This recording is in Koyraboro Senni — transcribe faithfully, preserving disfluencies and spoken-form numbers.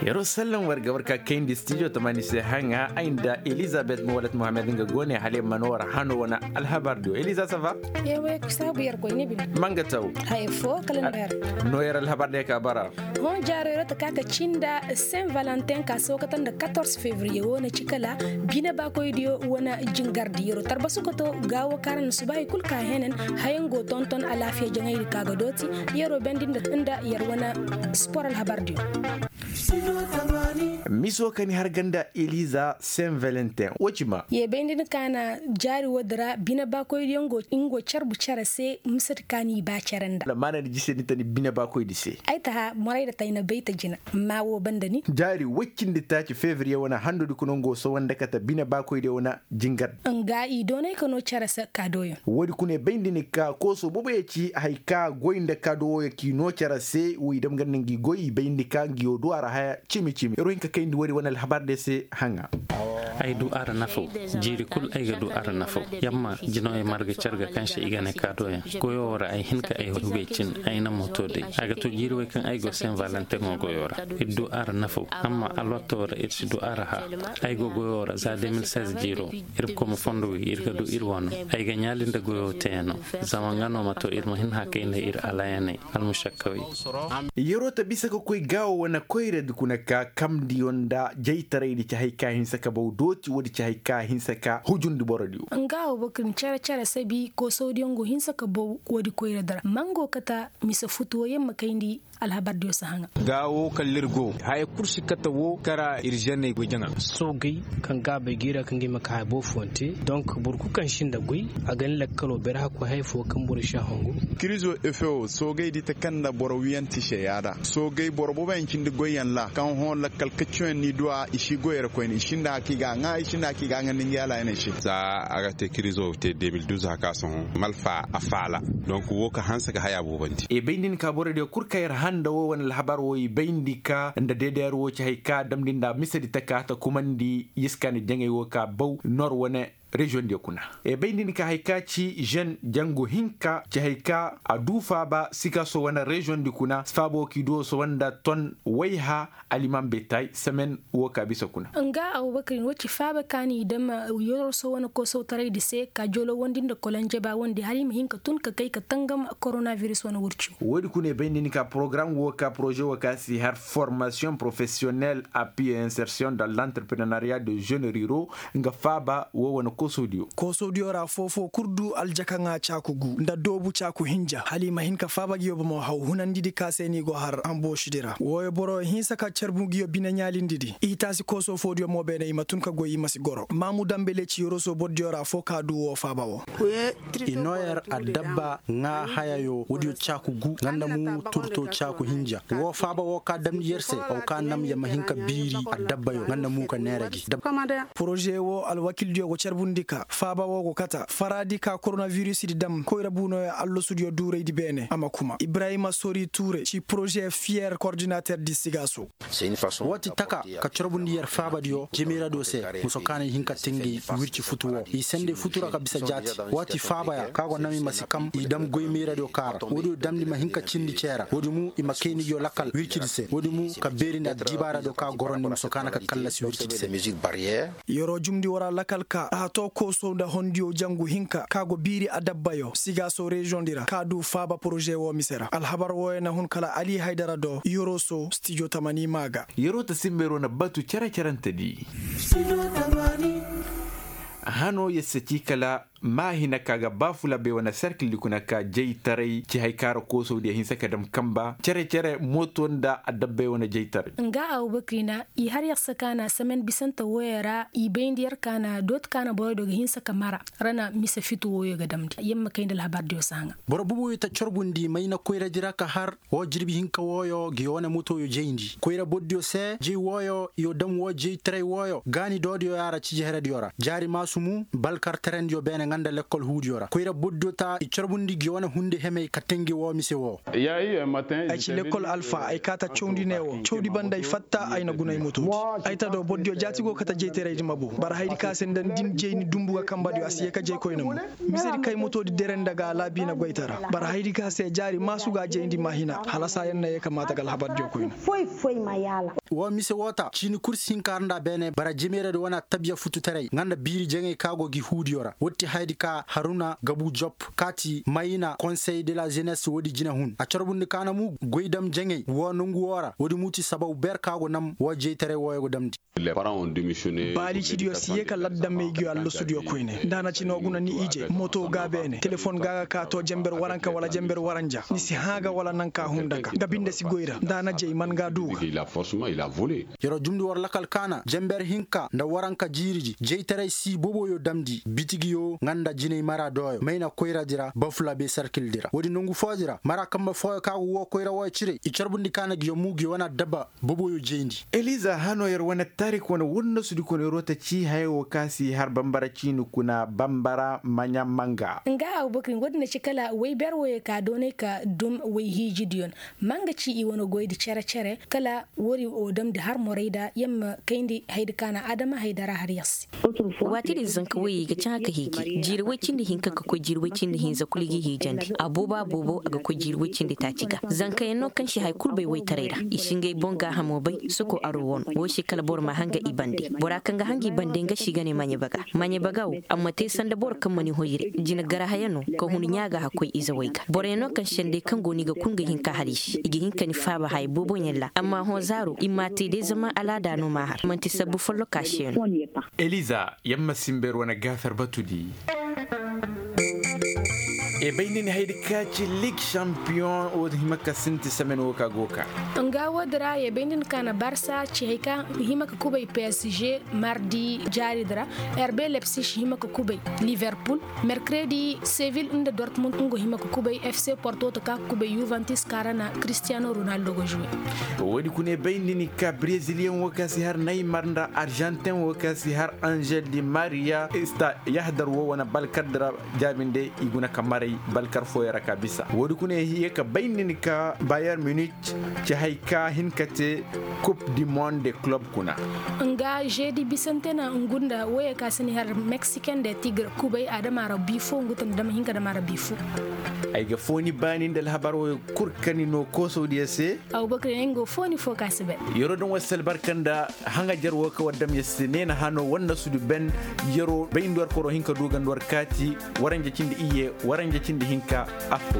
Yeroo sallan war ga war ka kayndi stijo tamani se haŋa ay nda elizabet muwalat muhammad nga goone hala yamma no war hano wane alhabar diyo eliza sava. Ewe saabu yer koy ni bine. Manga taw. Haya fo kala nda yer. No yer alhabar diyo ka bara. Hõ jaaro yeroo ta ka ka cinda saint valentin ka sookata nda quatorze février wo na ci kala bine baakoydiyo wane jingardi yeroo tarbasu ka to gaawo kaara na suba hay kul ka henen. Hayaŋ go tonton alaafiya jaŋaydi ka ga dooti. Yeroo bendi nda yer wane spor alhabardiyo. Miso ka ni har ganda eliza saint valentin wo ci ma. Ye bay nda ni ka na jaari woodi ra bine baakoydiyo ngo carbu cere se misedi ka ni ba cere nda. Maana ni jise ni ta ni bine baakoydi se. Ay ta ha moray da ta ay na bay ta jina. Ma wo banda ni jaari woy cindi taaci fevriye wane handudi kuna ngo sowanda kate bine baakoydiyo wane. Jingar. Nga i doonay ka no cere se kaadooyaŋ. Woodi kuna i bayndi ni ka kooso booboyaŋ ci hay ka goy nda kaadooyaŋ k'i no cere se wo i dam ganda ngi goy i bayndi ka ngi yo du a ra haya cimi cimi yer wo hin ka kayndi woodi wane alhabar de se haŋa. Ay du a ra nafaw. Jiiri kul ay ga du a ra nafaw. Yamma jinawey marga carga kaŋ se i ga ne kaadooyaŋ goyo wo ra ay hin ka ay hugay cin. Ay na mooto day a ga to jiiri wey kaŋ ay go saint valentin wo goyo ra. Ir du a ra nafaw. Amma alwatto ra ir si du a ra hã. Ay go goyo ra za deux mille seize jiiro. Ir ga koy ma fondo wi ir ga du ir wano. Ay ga ɲaali nda goyo teeyaŋo. Zama nga no ma to ir ma hin hã kay nda ir alayaney. Almušakkawey. Yeroo ta bisa ka koy gaawo wane koyradi kuna ka kamndiyo nda jaytaraydi ci hay ka hinsa ka baw dooti woodi ci hay ka hinsa ka hujundi borodiyo. Nga wo boro ka ni cere cere sabi koosawdiyo ngo hinsa ka baw woodi koyradi ra mango kata mise futu wo yer ma kayndi. Alhabardiyo si haŋa. Ga wo kala ir go haya kul si kate wo kara ir ženney goy jaŋa. Soogey kaŋ gaabey g'i ra kaŋ ga i ma ka haya boro fooyaŋ te. Donk boro kul kaŋ sinda goy a ga ni lakkalo bere hakkoy haya fo kaŋ boro si a hongu. Kirizo efeo soogey di ta kaŋ nda boro wiyanti se yaada soogey boro booboyaŋ cindi goyyaŋ ra kaŋ hõ lakkal kaccoyaŋ n'i du a i si goy ra koyne i sinda haka i ga a ŋaa i sinda haka i ga a ŋandi ngi alaayaney se. Za a ga te kirizo te deux mille douze haka sohõ malfa a faala. Donk wo ka hanse ga haya boobandi. I bayndi ni ka borodiyo kul ka yer hã nda wo wane alhabar wo i bayndi ka nda deedeer wo ci hay ka damndi nda misedi taka ta kumandi yiskaani jaŋay wo ka baw nor wane. Reziyoŋdiyo kuna. I bayndi ni ka hay ka ci žen jangu hinka ci hay ka a du faaba sikaso wane reziyoŋdi kuna faaba wo k'i du wo sohõ nda ton wayha. Aliman betay semen wo ka bisa kuna. Nga abubakar wo ci faaba ka ni dam yoroso wane koosawtaraydi se ka jolowandi nda kolonjeba wandi hala i ma hin ka tun ka kay ka tangam koronaviris wane wurciyo. Woodi kuna i bayndi ni ka porogaram wo ka poroze wo ka si har formasiyoŋ porofesiyonel appi et insersiyoŋ dans l'entreprenariya de žene riro. Nga faaba wo wane koosawdiyo. Koosawdiyo ra foofo kul du aljakaŋa caaku gu nda doobu caaku hinja hala i ma hin ka faaba ngiyo bomo haw hunandidi ka se ni go har amboosidi ra wooyo boro hinsa ka carbu ngiyo bine ɲaalindidi i taasi kooso foodiyo mo beene i ma tun ka goy i ma si goro maamu dambele ci yoroso bordiyo ra fo ka du woo faaba wo. I noo yer addabba ŋaa hayayo woodiyo caaku gu nga nda mu turto caaku hinja woo faaba woo ka damndi yer se haw ka nam yer ma hin ka biiri addabbayo nga nda mu ka neera gi. Poroze woo alwakildiyo go carbundi ka faaba woo go kata faraadi ka koronavirusdi dam koyra buunoyo allasudiyo duuraydi beene a ma kuma ibrahima sori tuure ci poroze fiyer kordinaterdi sigaaso. Woo ti taka ka corbundi yer faabadiyo jemayradiyo se muso kaŋ na i hin ka te ngi wirci futu woo i sendey futu ra ka bisa jaati. Woo ti faabaya kaŋ a go nam i ma si kam i dam goy mayradiyo kaa ra woodiyo damndi ma hin ka cindi cee ra woodi mu i ma kayni ngiyo lakal wircidi se woodi mu ka beerindi addibaaradiyo kaŋ a gorondi muso kaŋ na ka kallasi wircidi se. Yeroo jumndi woo ra lakal ka a too koosow nda hondiyo jangu hinka kaŋ a go biiri adabbayo sigaaso reziyoŋdi ra kaŋ a du faaba poroze woo mise ra alhabar wooyo na hun kala ali haydara do yeroo so stijo tamani maa ga. Yeroo ta simba yeroo na batu cere-cerentedi. Hanoo yer se ci kala maa hina ka ga baafula bay wane serkildi kuna ka jaytaray ci hay ka ra koosawdiyo hinsa ka dam kamba cere-cere mooto nda adabbay wane jaytaray. Nga abubakri na i har yer se ka na semen bisante wooyo ra i bayndi yer ka na dooti ka na boroydo ga hinsa ka mara ra na mise fitu wooyo ga damndi yer ma kay nda alhabardiyo se haŋa. Boro boboyo ta corbundi mayna koyradi ra ka har woo jirbi hinka wooyo ngi wane motoyo jayndi koyra bordiyo se jay wooyo iyo dam woo jaytaray wooyo gaani doodiyo yaara ciji herediyo ra jaari maasumu balkar terendiyo beene. Nda lekkol huudiyo ra koyra boddo ta i corbundi gi wane hunde hemey ka tengi woo mise woo. Ay ci lekkol alfa ay kaata cawndi ne woo cawndi banda ay fatta ay na guna ay motoodi. Ay ta do boddiyo jaati go kate jeyteraydi ma boo bara haydi ka se nda nda ni jeyni dumbu ga kambadiyo a si yee ka jey koyne mo. Misedi kay motoodi dere nda ga alaabiina goytara bara haydi ka se jaari maasu ga jeyndi maahina hala saa yer na yee ka maata ga alhabardiyo koyne. Woo mise woo ta ciini kul si hin ka har nda a beene bara jimeeradi wane attabiya fututaray nga nda biiri jaŋey ka go gi huudiyo ra woodi ti hayadi ka haruna gabu jop kaati mayina konsey de la jenes woodi jinehun a carbundi ka na mu goy dam jaŋey woo nongu woo ra woodi mu ti sababu ber ka go nam woo jeytaray wooyo go damndi. Baalicidiyo si yee ka ladda maygiyo allasudiyo koyne nda a na ci no guna ni ije moto ga beene telefon ga ga ka to jenber waranka wala jenber waranja ni si hã ga wala nanka hunda ga nga binde si goy ra nda a na jey man ga du ga. Yer'o jumndi war lakal kaana jenber hinka nda waranka jiiridi jeytaray si boboyo damndi bitigiyo nga nda jinay mara dooyo mayna koyradi ra bafulabe sarkildi ra woodi nongu fooyodi ra mara kamba fooyo ka go woo koyra wooyo cire i carbundi kaana giyo mu giyo wane addabba boboyo jeyndi. Eliza hano yer wane tarik wane wurnosudi kono yer'o ta ci haya woo ka si har bambara ciini kuna bambara maɲa manga. Nga abubakar nga woodi na ci kala woy ber wooyo ka doonay ka dum woy hiijidiyon ma nga ci i wane goydi cere-cere kala woodi woo damndi har morayda yer ma kayndi hayadi ka na adama haydara har yer se. Waati din zanka woyey ga caŋa ka hiiji jiiri woy cindi hinka ka koy jiiri woy cindi hinza kulu i ga hiijandi a boobo a boobo a ga koy jiiri woy cindi taaci ga. Zankayaŋ no kaŋ si haya kulu bay woytaray ra i si ngey boŋ gaahamo bay soko aro wano woo se kala boro ma hanga i bande bora kaŋ ga hanga i bande nga si ga ne maɲe baga maɲe baga wo a ma te sanda boro kaŋ ma ni hoyre jina garahaya no ka hun ɲaa ga hakkoy izawey ga boroyaŋ no kaŋ sendey kaŋ go no i ga kul ga hin ka har i se i ga hin ka ni faaba haya booboyaŋ ra amma hõ zaaro i m'a te day zama alaada no m'a har man'ti sabbu folloka se no. Eliza yamma simber wane gaafar batudi. E bay nda ni haydi ka ci lig shampiyoŋ wo hima ka sinti semen wo ka go ka. Nga woodi ra ye bay nda ni ka na barsa ci hay ka hima ka kubay psg mardi jaaridi ra. Rb lepsig hima ka kubay liverpul merkredi sevil nda dortmund nga hima ka kubay fc porto ta ka ka kubay juventus ka ra na cristiano ronaldo ga juwe. Woodi kuna ye bay nda ni ka breziliyaŋ wo ka si har naymar nda arjantin wo ka si har angel di maria ista yahdar wo wane balkar dira jaabinde i guna ka maray balkar fooyaŋ ra ka bisa woodi kuna ye ka bay nda ni ka bayer munich ci hay ka hin ka te kub di monde club kuna. Nga jeedi bisante na ngu nda woyey ka si ni har meksiken de tigre kubay a dama ra bi fo ngu ta nda dama hinka dama ra bi fo. Ay ga fooni baani nda alhabar woyey kul ka ni no koosodiyo se. Abubakar yaŋ nga fooni fo ka si bay. Yer'o daŋ war si albarka nda haŋajer wo ka war dam yer se neena hano war na sudu ben. Yer'o bay nda war koro hin ka du ga nda war kaati waranja cindi iyye waranja cindi hinka. Affo.